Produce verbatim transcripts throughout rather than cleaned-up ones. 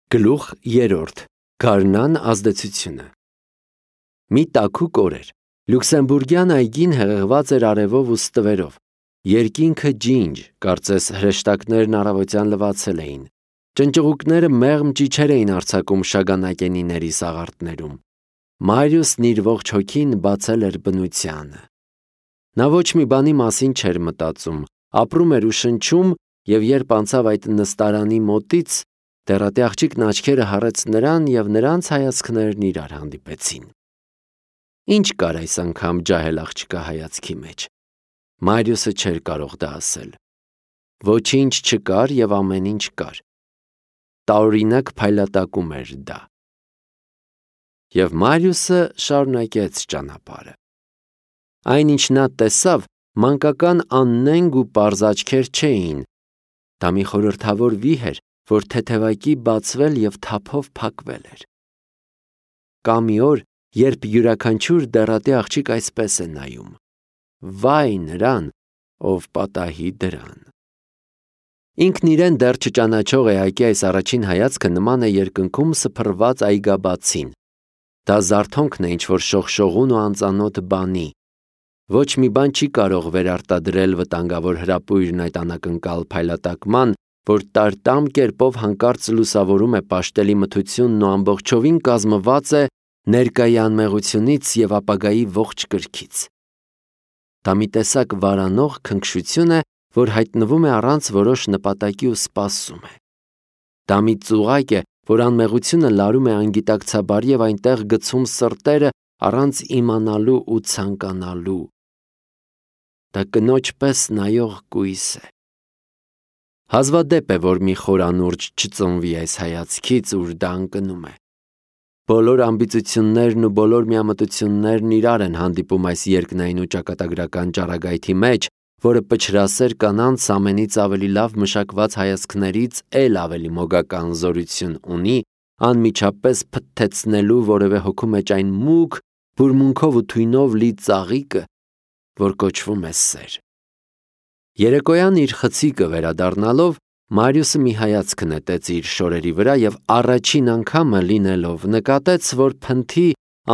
Գլուխ երրորդ. Գարնան ազդեցությունը։ Մի տաքուկ օր էր։ Լյուքսեմբուրգյան այգին հեղեղված էր արևով ու ստվերով։ Երկինքը ջինջ, կարծես հրեշտակներն առավոտյան լվացել էին։ Ճնճղուկները մեղմ ճիչեր էին արձակում շագանակենիների սաղարթներում։ Մարիուսն իր ողջ հոգին բացել էր բնությանը։ Նա ոչ մի բանի մասին չէր մտածում, ապրում էր ու շնչում, և երբ անցավ այդ նստարանի մոտից, դեռատի աղջիկն աչքերը հառեց նրան, և նրանց հայացքներն իրար հանդիպեցին։ Ինչ կար այս անգամ ջահել աղջկա հայացքի մեջ։ Մարիուսը չէր կարող դա ասել։ Ոչինչ չկար և ամեն ինչ կար։ Տարօրինակ փայլատակում էր դա։ Եվ Մարիուսը շարունակեց ճանապարհը։ Այն, ինչ նա տեսավ, մանկական աննենգ ու պարզ աչքեր չէին։ Դա մի խորհրդավոր վիհ էր, որ թեթևակի բացվել և թափով փակվել էր։ Կա մի օր, երբ յուրաքանչյուր դեռատի աղջիկ այսպես է նայում. վայ նրան, ով պատահի դրան։ Ինքն իրեն դեռ չճանաչող էակի այս առաջին հայացքը նման է երկնքում սփռված այգաբացին։ Դա զարթոնքն է ինչ-որ շողշողուն ու անծանոթ բանի։ Ոչ մի բան չի կարող վերարտադրել վտանգավոր հրապույրն այդ անակնկալ փայլատակման, որ տարտամ կերպով հանկարծ լուսավորում է պաշտելի մթությունն ու ամբողջովին կազմված է ներկայի անմեղությունից և ապագայի ողջ կրքից։ Դա մի տեսակ վարանող քնքշություն է, որ հայտնվում է առանց որոշ նպատակի ու սպասում է։ Դա մի ծուղակ է, որ անմեղությունը լարում է անգիտակցաբար և այնտեղ գցում սրտերը առանց իմանալու ու ցանկանալու։ Դա կնոջ պես նայող կույս է։ Հազվադեպ է, որ մի խոր անուրջը չծնվի այս հայացքից, ուր դա ընկնում է։ Բոլոր ամբիծություններն ու բոլոր միամտություններն իրար են հանդիպում այս երկնային ու ճակատագրական ճառագայթի մեջ, որը պչրասեր կանանց ամենից ավելի լավ մշակված հայացքներից էլ ավելի մոգական զորություն ունի, անմիջապես փթթեցնելու որևէ հոգու մեջ այն մուգ, բուրմունքով ու թույնով լի ծաղիկը, որ կոչվում է սեր։ Երեկոյան իր խցիկը վերադառնալով, Մարիուսը մի հայացք նետեց իր շորերի վրա և առաջին անգամը լինելով նկատեց, որ փնթի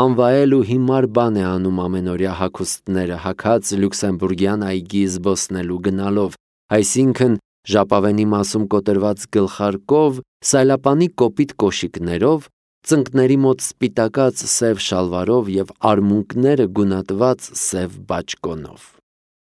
անվայել ու հիմար բան է անում ամենօրյա հագուստները հագած լյուքսեմբուրգյան այգի զբոսնելու գնալով, այսինքն ժապավենի մասում կոտրված գլխարկով, սայլապանի կոպիտ կոշիկներով, ծնկների մոտ սպիտակած սև շալվարով և արմունկները գունատված սև բաճկոնով։